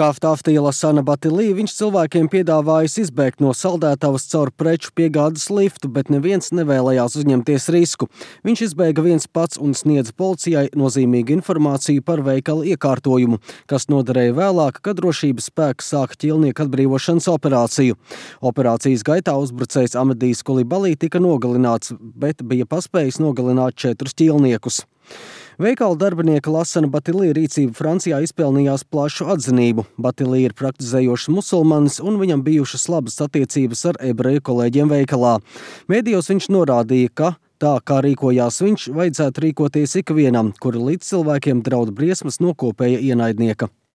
Kaftāftī Lasana Batilī viņš cilvēkiem piedāvājis izbēgt no saldētavas caur preču piegādes liftu, bet neviens nevēlējās uzņemties risku. Viņš izbēga viens pats un sniedza policijai nozīmīgu informāciju par veikala iekārtojumu, kas noderēja vēlāk, kad drošības spēki sāka ķīlnieku atbrīvošanas operāciju. Operācijas gaitā uzbrucējs Amedijs Kulibalī tika nogalināts, bet bija paspējis nogalināt 4 ķīlniekus. Veikala darbinieka Lasana Batilī rīcība Francijā izpelnījās plašu atzinību. Batilī ir praktizējošs musulmanis un viņam bijušas labas attiecības ar ebreju kolēģiem veikalā. Mēdījos viņš norādīja, ka tā, kā rīkojās viņš, vajadzētu rīkoties ikvienam, kura līdz cilvēkiem draud briesmas no kopēja ienaidnieka.